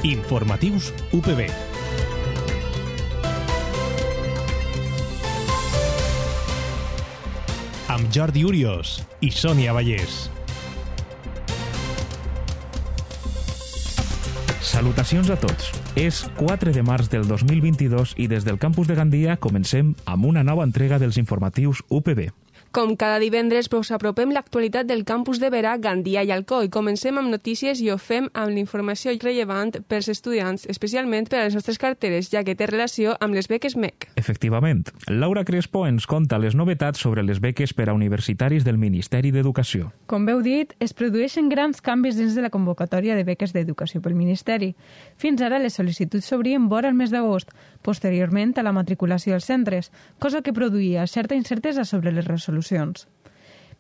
Informatius UPB. Amb Jordi Urios i Sònia Vallès. Salutacions a tots. És 4 de març del 2022 i des del campus de Gandia comencem amb una nova entrega dels informatius UPB. Com cada divendres, us apropem l'actualitat del campus de Vera, Gandia i Alcoi. Comencem amb notícies i ho fem amb l'informació rellevant pels estudiants, especialment per a les nostres carteres, ja que té relació amb les beques MEC. Efectivament. Laura Crespo ens conta les novetats sobre les beques per a universitaris del Ministeri d'Educació. Com heu dit, es produeixen grans canvis dins de la convocatòria de beques d'educació pel Ministeri. Fins ara les sol·licituds s'obrien vora el mes d'agost, posteriorment a la matriculació als centres, cosa que produïa certa incertesa sobre les resolucions.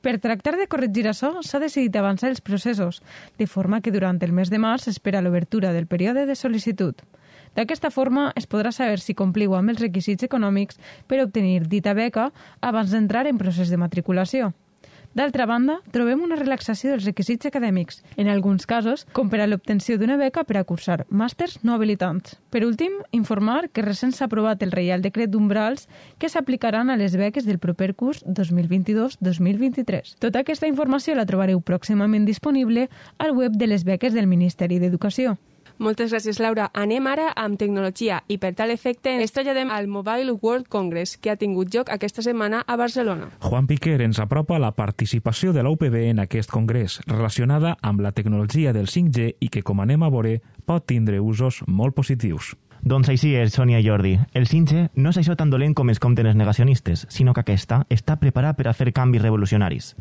Per tractar de corregir això, s'ha decidit avançar els processos, de forma que durant el mes de març s'espera l'obertura del període de sol·licitud. D'aquesta forma, es podrà saber si compliu amb els requisits econòmics per obtenir dita beca abans d'entrar en procés de matriculació. D'altra banda, trobem una relaxació dels requisits acadèmics, en alguns casos, com per a l'obtenció d'una beca per a cursar màsters no habilitants. Per últim, informar que recent s'ha aprovat el Reial Decret d'Umbrals que s'aplicaran a les beques del proper curs 2022-2023. Tota aquesta informació la trobareu pròximament disponible al web de les beques del Ministeri d'Educació. Moltes gràcies, Laura. Anem ara amb tecnologia i per tal efecte ens traslladem al Mobile World Congress que ha tingut lloc aquesta setmana a Barcelona. Juan Piquer ens apropa la participació de la UPB en aquest congrés relacionada amb la tecnologia del 5G i que, com anem a veure, pot tindre usos molt positius. Doncs així és, Sònia i Jordi. El 5G no és això tan dolent com es compten els negacionistes, sinó que aquesta està preparada per a fer canvis revolucionaris.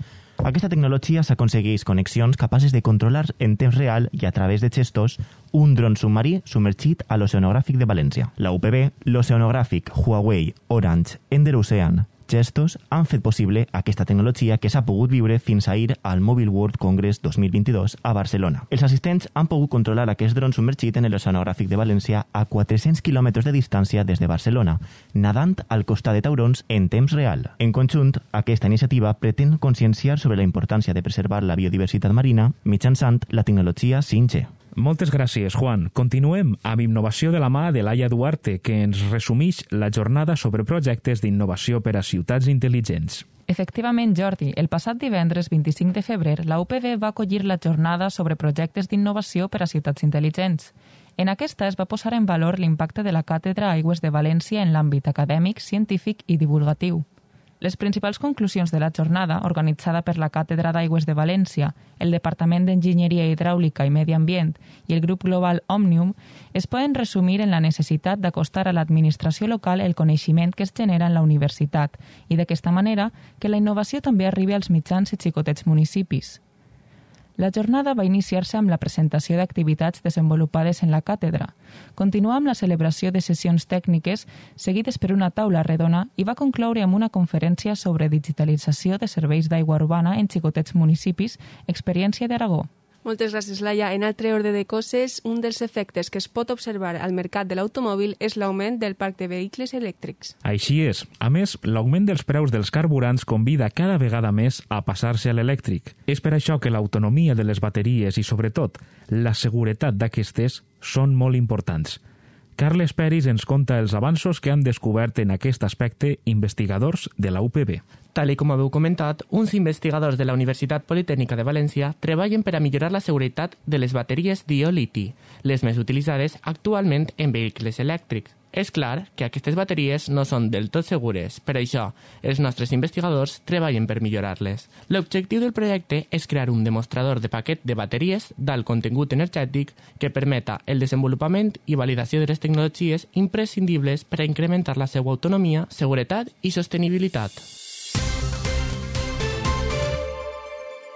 Aquesta tecnologia s'aconsegueix connexions capaces de controlar en temps real i a través de gestos un dron submarí submergit a l'Oceanogràfic de València. La UPB, l'Oceanogràfic, Huawei, Orange, Ender Ocean, Gestos han fet possible aquesta tecnologia que s'ha pogut viure fins ahir al Mobile World Congress 2022 a Barcelona. Els assistents han pogut controlar aquest dron submergit en l'Oceanogràfic de València a 400 quilòmetres de distància des de Barcelona, nadant al costat de taurons en temps real. En conjunt, aquesta iniciativa pretén conscienciar sobre la importància de preservar la biodiversitat marina mitjançant la tecnologia 5G. Moltes gràcies, Juan. Continuem amb innovació de la mà de Laia Duarte, que ens resumeix la jornada sobre projectes d'innovació per a ciutats intel·ligents. Efectivament, Jordi, el passat divendres 25 de febrer, la UPB va acollir la jornada sobre projectes d'innovació per a ciutats intel·ligents. En aquesta es va posar en valor l'impacte de la Càtedra Aigües de València en l'àmbit acadèmic, científic i divulgatiu. Les principals conclusions de la jornada, organitzada per la Càtedra d'Aigües de València, el Departament d'Enginyeria Hidràulica i Medi Ambient i el grup global Òmnium, es poden resumir en la necessitat d'acostar a l'administració local el coneixement que es genera en la universitat i d'aquesta manera que la innovació també arribi als mitjans i xicotets municipis. La jornada va iniciar-se amb la presentació d'activitats desenvolupades en la càtedra, continuar amb la celebració de sessions tècniques seguides per una taula redona i va concloure amb una conferència sobre digitalització de serveis d'aigua urbana en xicotets municipis, experiència d'Aragó. Moltes gràcies, Laia. En altre ordre de coses, un dels efectes que es pot observar al mercat de l'automòbil és l'augment del parc de vehicles elèctrics. Així és. A més, l'augment dels preus dels carburants convida cada vegada més a passar-se a l'elèctric. És per això que l'autonomia de les bateries i, sobretot, la seguretat d'aquestes són molt importants. Carles Peris ens conta els avanços que han descobert en aquest aspecte investigadors de la UPB. Tal com haveu comentat, uns investigadors de la Universitat Politècnica de València treballen per a millorar la seguretat de les bateries d'ió-liti, les més utilitzades actualment en vehicles elèctrics. És clar que aquestes bateries no són del tot segures, per això els nostres investigadors treballen per millorar-les. L'objectiu del projecte és crear un demostrador de paquet de bateries d'alt contingut energètic que permeta el desenvolupament i validació de les tecnologies imprescindibles per a incrementar la seva autonomia, seguretat i sostenibilitat.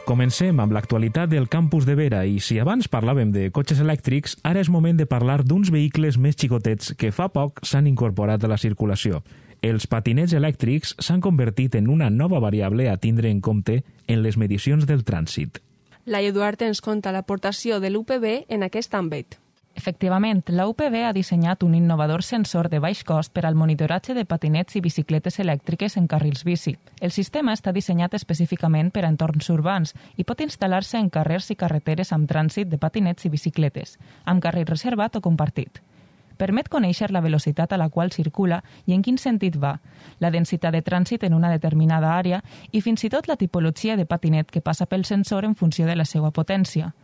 Comencem amb l'actualitat del campus de Vera i si abans parlàvem de cotxes elèctrics, ara és moment de parlar d'uns vehicles més xicotets que fa poc s'han incorporat a la circulació. Els patinets elèctrics s'han convertit en una nova variable a tindre en compte en les medicions del trànsit. Laia Duarte ens conta l'aportació de l'UPB en aquest àmbit. Efectivament, la UPB ha dissenyat un innovador sensor de baix cost per al monitoratge de patinets i bicicletes elèctriques en carrils bici. El sistema està dissenyat específicament per a entorns urbans i pot instal·lar-se en carrers i carreteres amb trànsit de patinets i bicicletes, amb carril reservat o compartit. Permet conèixer la velocitat a la qual circula i en quin sentit va, la densitat de trànsit en una determinada àrea i fins i tot la tipologia de patinet que passa pel sensor en funció de la seva potència.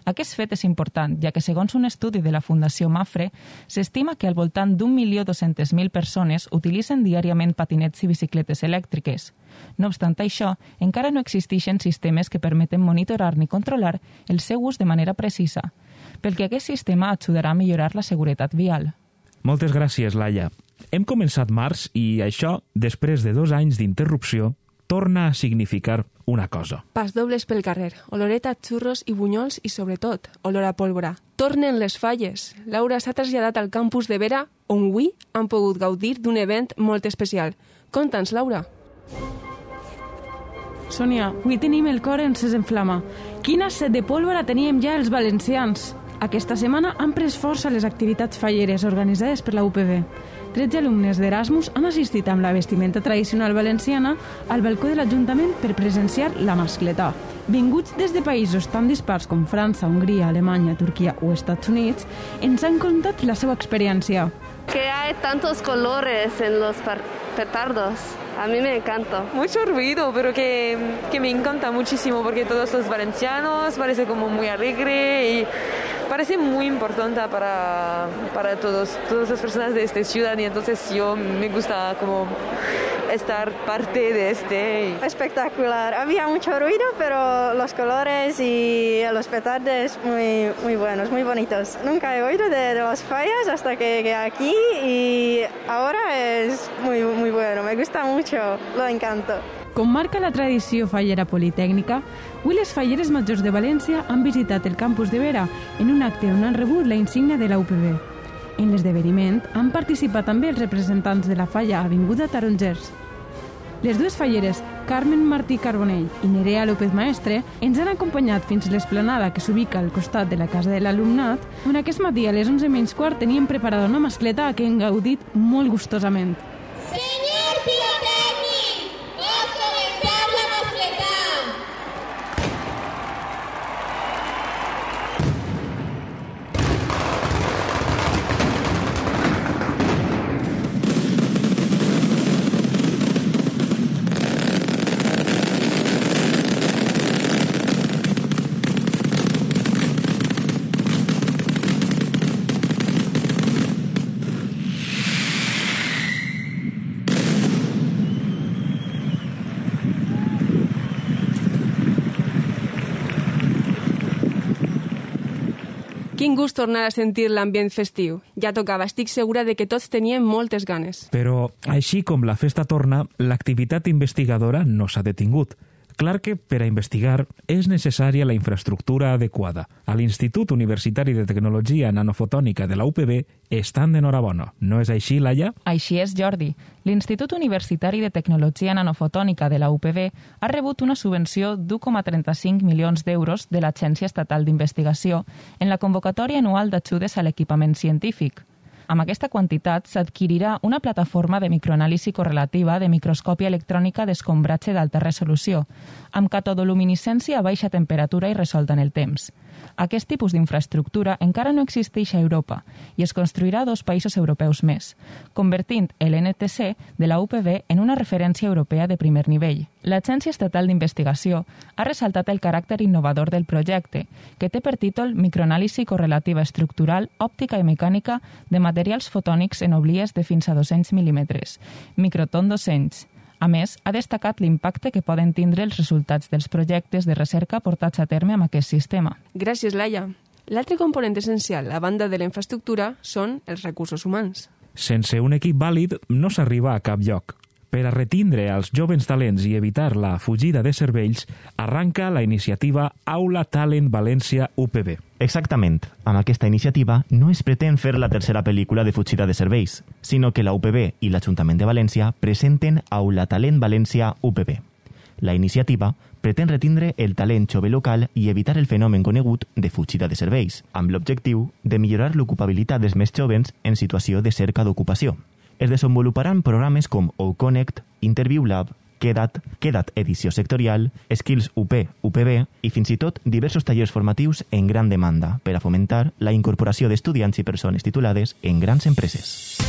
Aquest fet és important, ja que segons un estudi de la Fundació Mafre, s'estima que al voltant d'1.200.000 persones utilitzen diàriament patinets i bicicletes elèctriques. No obstant això, encara no existeixen sistemes que permeten monitorar ni controlar el seu ús de manera precisa, pel que aquest sistema ajudarà a millorar la seguretat vial. Moltes gràcies, Laia. Hem començat març i això, després de 2 anys d'interrupció, torna a significar una cosa. Pas dobles pel carrer, oloreta, xurros i bunyols i, sobretot, olor a pólvora. Tornen les falles. Laura s'ha traslladat al campus de Vera, on avui han pogut gaudir d'un event molt especial. Conta'ns, Laura. Sònia, avui tenim el cor encès en flama. Quina set de pólvora teníem ja els valencians! Aquesta setmana han pres força les activitats falleres organitzades per la UPB. 13 alumnes d'Erasmus han assistit amb la vestimenta tradicional valenciana al balcó de l'Ajuntament per presenciar la mascletà. Vinguts des de països tan dispars com França, Hongria, Alemanya, Turquia o Estats Units, ens han contat la seva experiència. Que hay tantos colores en los petardos. A mí me encanta. Mucho ruido, pero que me encanta muchísimo porque todos los valencianos parece como muy alegre y parece muy importante para todas las personas de esta ciudad y entonces yo me gusta como estar parte de este. Espectacular. Había mucho ruido, pero los colores y los petardos muy buenos, muy bonitos. Nunca he oído de las fallas hasta que llegué aquí y ahora es muy bueno. Me gusta mucho, lo encanto. Com marca la tradició fallera politècnica, avui les falleres majors de València han visitat el campus de Vera en un acte on han rebut la insígnia de la UPB. En l'esdeveniment han participat també els representants de la falla Avinguda Tarongers. Les dues falleres, Carmen Martí Carbonell i Nerea López Maestre, ens han acompanyat fins a l'esplanada que s'ubica al costat de la casa de l'alumnat, on aquest matí a les 11:15 tenien preparada una mascleta que hem gaudit molt gustosament. Señor pirotècnic, pot començar la mascleta. Quin gust tornar a sentir l'ambient festiu. Ja tocava, estic segura de que tots teníem moltes ganes. Però, així com la festa torna, l'activitat investigadora no s'ha detingut. Clar que, per a investigar, és necessària la infraestructura adequada. A l'Institut Universitari de Tecnologia Nanofotònica de la UPB estan d'enhorabona. No és així, Laia? Així és, Jordi. L'Institut Universitari de Tecnologia Nanofotònica de la UPB ha rebut una subvenció d'1,35 milions d'euros de l'Agència Estatal d'Investigació en la convocatòria anual d'ajudes a l'equipament científic. Amb aquesta quantitat s'adquirirà una plataforma de microanàlisi correlativa de microscòpia electrònica d'escombratge d'alta resolució, amb catodoluminescència a baixa temperatura i resolta en el temps. Aquest tipus d'infraestructura encara no existeix a Europa i es construirà a 2 països europeus més, convertint l'NTC de la UPB en una referència europea de primer nivell. L'Agència Estatal d'Investigació ha ressaltat el caràcter innovador del projecte, que té per títol Microanàlisi correlativa estructural, òptica i mecànica de materials fotònics en oblies de fins a 200 mil·límetres, microton 200. A més, ha destacat l'impacte que poden tindre els resultats dels projectes de recerca portats a terme amb aquest sistema. Gràcies, Laia. L'altre component essencial, a banda de la infraestructura, són els recursos humans. Sense un equip vàlid no s'arriba a cap lloc. Per a retindre els jovens talents i evitar la fugida de cervells, arranca la iniciativa Aula Talent València UPB. Exactament. Amb aquesta iniciativa no es pretén fer la tercera pel·lícula de fugida de cervells, sinó que la UPB i l'Ajuntament de València presenten Aula Talent València UPB. La iniciativa pretén retindre el talent jove local i evitar el fenomen conegut de fugida de serveis, amb l'objectiu de millorar l'ocupabilitat dels més jovens en situació de cerca d'ocupació. Es desenvoluparan programes com OConnect, Interview Lab, Queda't edició sectorial, Skills UP, UPB i fins i tot diversos tallers formatius en gran demanda per a fomentar la incorporació d'estudiants i persones titulades en grans empreses.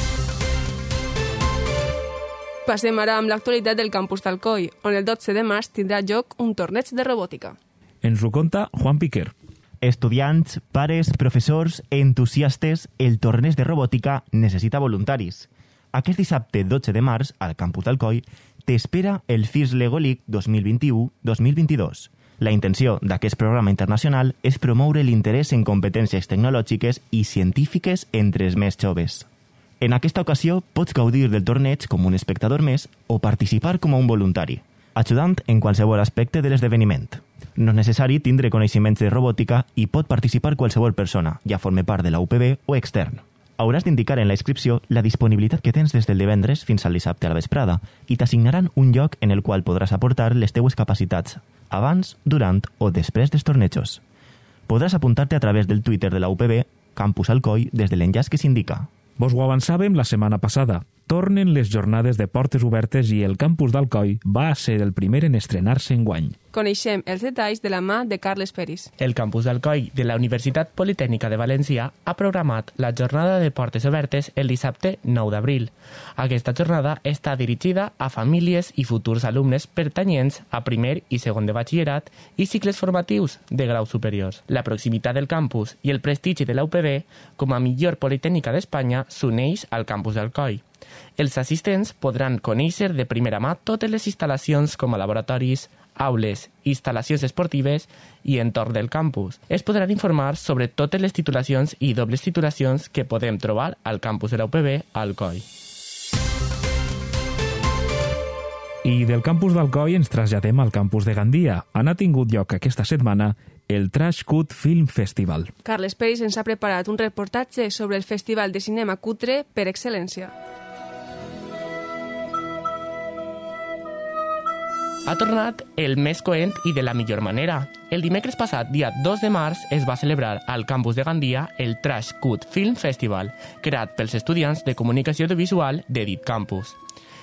Passem ara amb l'actualitat del campus d'Alcoi, on el 12 de març tindrà lloc un torneig de robòtica. Ens ho conta Juan Piquer. Estudiants, pares, professors, entusiastes, el torneig de robòtica necessita voluntaris. Aquest dissabte 12 de març, al campus d'Alcoi, t'espera el FIRST Lego League 2021-2022. La intenció d'aquest programa internacional és promoure l'interès en competències tecnològiques i científiques entre els més joves. En aquesta ocasió pots gaudir del torneig com un espectador més o participar com a un voluntari, ajudant en qualsevol aspecte de l'esdeveniment. No és necessari tindre coneixements de robòtica i pot participar qualsevol persona, ja forme part de la UPB o extern. Hauràs d'indicar en la inscripció la disponibilitat que tens des del divendres fins al dissabte a la vesprada i t'assignaran un lloc en el qual podràs aportar les teues capacitats, abans, durant o després dels tornejos. Podràs apuntar-te a través del Twitter de la UPB, Campus Alcoi, des de l'enllaç que s'indica. Vos ho avançàvem la setmana passada. Tornen les jornades de portes obertes i el campus d'Alcoi va ser el primer en estrenar-se enguany. Coneixem els detalls de la mà de Carles Peris. El campus d'Alcoi de la Universitat Politècnica de València ha programat la jornada de portes obertes el dissabte 9 d'abril. Aquesta jornada està dirigida a famílies i futurs alumnes pertanyents a primer i segon de batxillerat i cicles formatius de graus superiors. La proximitat del campus i el prestigi de la UPB com a millor politècnica d'Espanya s'uneix al campus d'Alcoi. Els assistents podran conèixer de primera mà totes les instal·lacions com a laboratoris, aules, instal·lacions esportives i entorn del campus. Es podran informar sobre totes les titulacions i dobles titulacions que podem trobar al campus de la UPB a Alcoi. I del campus d'Alcoi ens traslladem al campus de Gandia, on ha tingut lloc aquesta setmana el Trash Cut Film Festival. Carles Peris ens ha preparat un reportatge sobre el festival de cinema cutre per excel·lència. Ha tornat el més coent i de la millor manera. El dimecres passat, dia 2 de març, es va celebrar al campus de Gandia el Trash Cut Film Festival, creat pels estudiants de comunicació audiovisual de dit campus.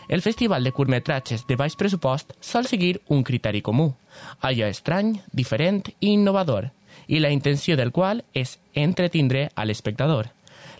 El festival de curtmetratges de baix pressupost sol seguir un criteri comú, allò estrany, diferent i innovador, i la intenció del qual és entretindre a l'espectador.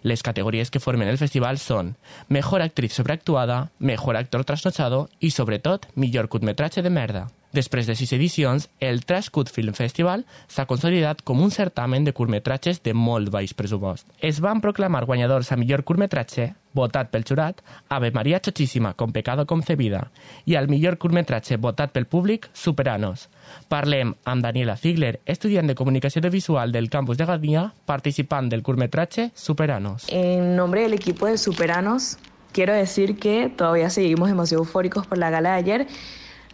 Les categories que formen el festival són Mejor actriz sobreactuada, Mejor actor trasnochado i, sobretot, Millor curtmetratge de merda. Després de 6 edicions, el Trash Cut Film Festival s'ha consolidat com un certamen de curtmetratges de molt baix pressupost. Es van proclamar guanyadors a millor curtmetratge, votat pel jurat, Ave María Chochísima con pecado concebida, i al millor curtmetratge votat pel públic, Superanos. Parlem amb Daniela Ziegler, estudiant de comunicació audiovisual del campus de Gandia, participant del curtmetratge Superanos. En nombre del equipo de Superanos, quiero decir que todavía seguimos demasiado eufóricos por la gala de ayer.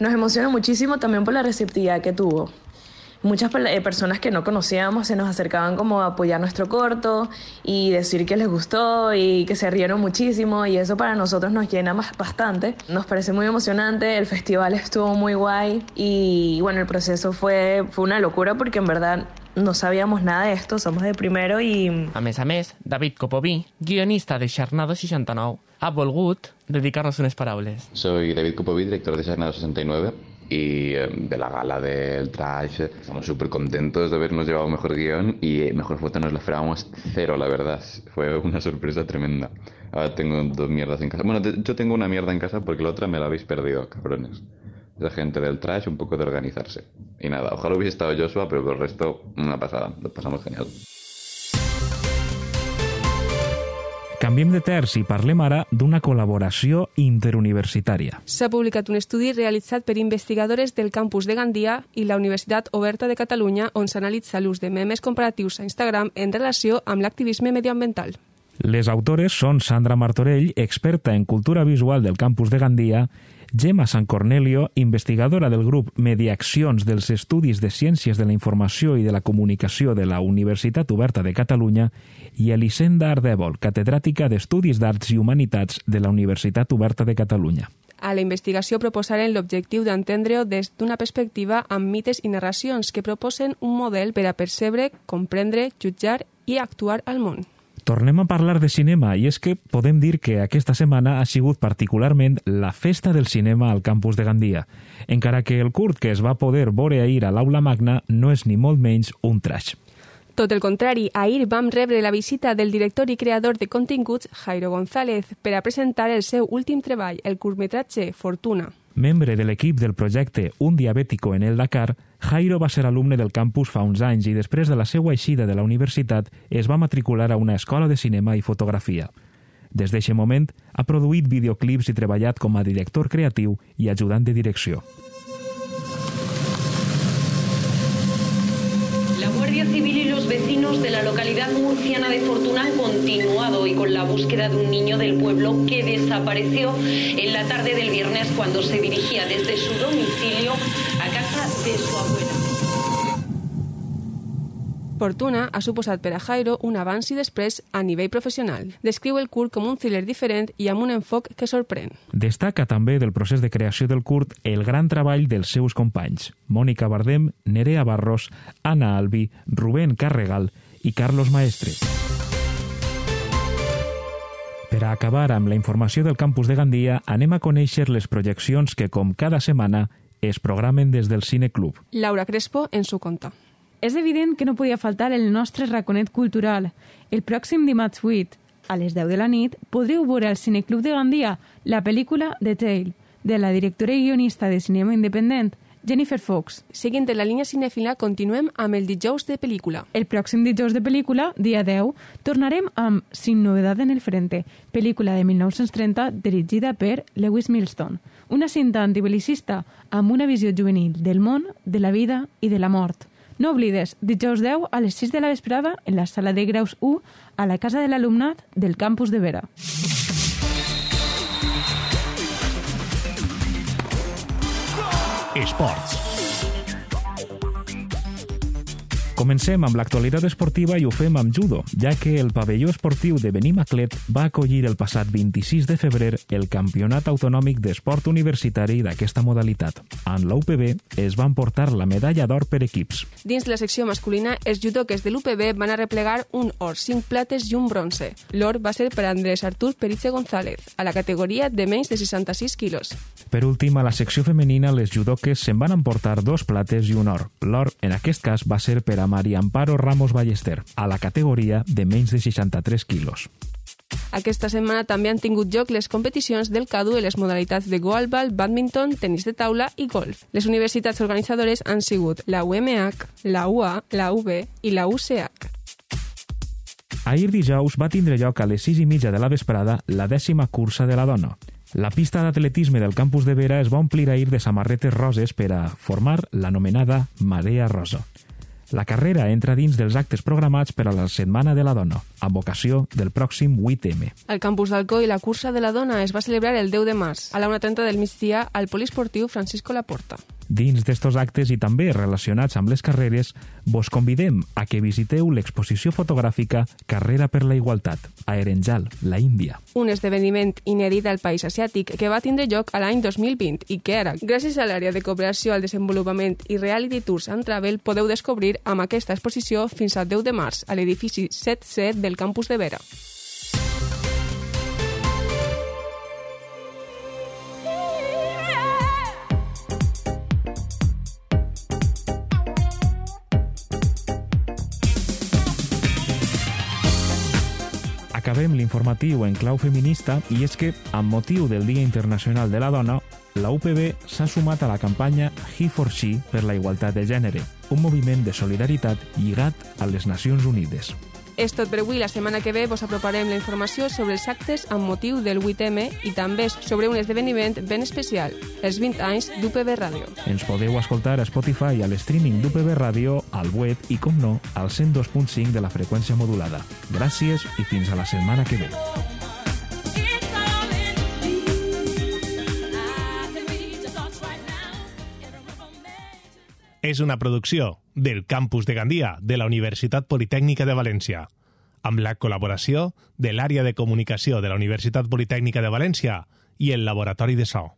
Nos emociona muchísimo también por la receptividad que tuvo. Muchas personas que no conocíamos se nos acercaban como a apoyar nuestro corto y decir que les gustó y que se rieron muchísimo, y eso para nosotros nos llena bastante. Nos parece muy emocionante, el festival estuvo muy guay y bueno, el proceso fue una locura porque en verdad no sabíamos nada de esto, somos de primero i... A més, David Copoví, guionista de Xarnado 69, ha volgut dedicar-nos unes paraules. Soy David Copoví, director de Xarnado 69, y de la gala del Trash. Estamos súper contentos de habernos llevado mejor guión y mejor foto nos la esperábamos cero, la verdad. Fue una sorpresa tremenda. Ahora tengo 2 mierdas en casa. Bueno, yo tengo una mierda en casa porque la otra me la habéis perdido, cabrones. Esa gente del Trash, un poco de organizarse. Y nada, ojalá hubiese estado Joshua, pero por el resto, una pasada. Lo pasamos genial. Canviem de terç i parlem ara d'una col·laboració interuniversitària. S'ha publicat un estudi realitzat per investigadores del campus de Gandia i la Universitat Oberta de Catalunya, on s'analitza l'ús de memes comparatius a Instagram en relació amb l'activisme medioambiental. Les autores són Sandra Martorell, experta en cultura visual del campus de Gandia, Gemma San Cornelio, investigadora del grup Mediaccions dels Estudis de Ciències de la Informació i de la Comunicació de la Universitat Oberta de Catalunya, i Elisenda Ardèvol, catedràtica d'Estudis d'Arts i Humanitats de la Universitat Oberta de Catalunya. A la investigació proposaren l'objectiu d'entendre-ho des d'una perspectiva amb mites i narracions que proposen un model per a percebre, comprendre, jutjar i actuar al món. Tornem a parlar de cinema i és que podem dir que aquesta setmana ha sigut particularment la festa del cinema al campus de Gandia, encara que el curt que es va poder veure ahir a l'Aula Magna no és ni molt menys un trash. Tot el contrari, ahir vam rebre la visita del director i creador de continguts, Jairo González, per a presentar el seu últim treball, el curtmetratge Fortuna. Membre de l'equip del projecte Un diabètico en el Dakar, Jairo va ser alumne del campus fa uns anys i després de la seva eixida de la universitat es va matricular a una escola de cinema i fotografia. Des d'aquest moment ha produït videoclips i treballat com a director creatiu i ajudant de direcció. La Guardia Civil y los vecinos de la localidad murciana de Fortuna han continuado hoy con la búsqueda de un niño del pueblo que desapareció en la tarde del viernes cuando se dirigía desde su domicilio a casa de su abuela. Fortuna ha suposat per a Jairo un abans i després a nivell professional. Descriu el curt com un thriller diferent i amb un enfoc que sorprèn. Destaca també del procés de creació del curt el gran treball dels seus companys, Mònica Bardem, Nerea Barros, Anna Albi, Rubén Carregal i Carlos Maestre. Per a acabar amb la informació del campus de Gandia, anem a conèixer les projeccions que, com cada setmana, es programen des del Cine Club. Laura Crespo ens ho conta. És evident que no podia faltar el nostre raconet cultural. El pròxim dimarts 8, a les 10 de la nit, podreu veure al Cineclub de Gandia la pel·lícula The Tale, de la directora i guionista de cinema independent, Jennifer Fox. Seguint en la línia cinèfila, continuem amb el dijous de pel·lícula. El pròxim dijous de pel·lícula, dia 10, tornarem amb Sin novedad en el frente, pel·lícula de 1930 dirigida per Lewis Milestone. Una cinta antibelicista amb una visió juvenil del món, de la vida i de la mort. No oblides, dijous 10 a les 6 de la vesprada en la sala de graus 1 a la casa de l'alumnat del campus de Vera. Esports. Comencem amb l'actualitat esportiva i ho fem amb judo, ja que el pavelló esportiu de Benimaclet va acollir el passat 26 de febrer el Campionat Autonòmic d'Esport Universitari d'aquesta modalitat. En l'UPB es van portar la medalla d'or per equips. Dins la secció masculina, els judoques de l'UPB van a replegar un or, 5 plates i un bronze. L'or va ser per Andrés Artur Peritxe González, a la categoria de menys de 66 quilos. Per últim, a la secció femenina, les judoques se'n van emportar 2 plates i un or. L'or, en aquest cas, va ser per a Maria Amparo Ramos Ballester, a la categoria de menys de 63 quilos. Aquesta setmana també han tingut lloc les competicions del CADU en les modalitats de goalball, bàdminton, tenis de taula i golf. Les universitats organitzadores han sigut la UMH, la UA, la UB i la UCH. Ahir dijous va tindre lloc a les 6:30 de la vesprada la 10ª cursa de la dona. La pista d'atletisme del campus de Vera es va omplir ahir de samarretes roses per a formar l'anomenada Marea Rosa. La carrera entra dins dels actes programats per a la Setmana de la Dona, amb ocasió del pròxim 8M. Al campus d'Alcoi, la cursa de la dona es va celebrar el 10 de març, a la 1:30 del migdia, al poliesportiu Francisco Laporta. Dins d'estos actes i també relacionats amb les carreres, vos convidem a que visiteu l'exposició fotogràfica Carrera per la Igualtat, a Erenjal, la Índia. Un esdeveniment inèdit al país asiàtic que va tindre lloc a l'any 2020 i que ara, gràcies a l'àrea de cooperació al desenvolupament i Reality Tours and Travel, podeu descobrir amb aquesta exposició fins al 10 de març a l'edifici 7C del campus de Vera. Acabem l'informatiu en clau feminista i és que, amb motiu del Dia Internacional de la Dona, la UPB s'ha sumat a la campanya He for She per la igualtat de gènere, un moviment de solidaritat lligat a les Nacions Unides. És tot per avui. La setmana que ve vos aproparem la informació sobre els actes amb motiu del 8M i també sobre un esdeveniment ben especial, els 20 anys d'UPB Ràdio. Ens podeu escoltar a Spotify i a l'streaming d'UPB Ràdio, al web i, com no, al 102.5 de la freqüència modulada. Gràcies i fins a la setmana que ve. És una producció del Campus de Gandia de la Universitat Politècnica de València, amb la col·laboració de l'Àrea de Comunicació de la Universitat Politècnica de València i el Laboratori de So.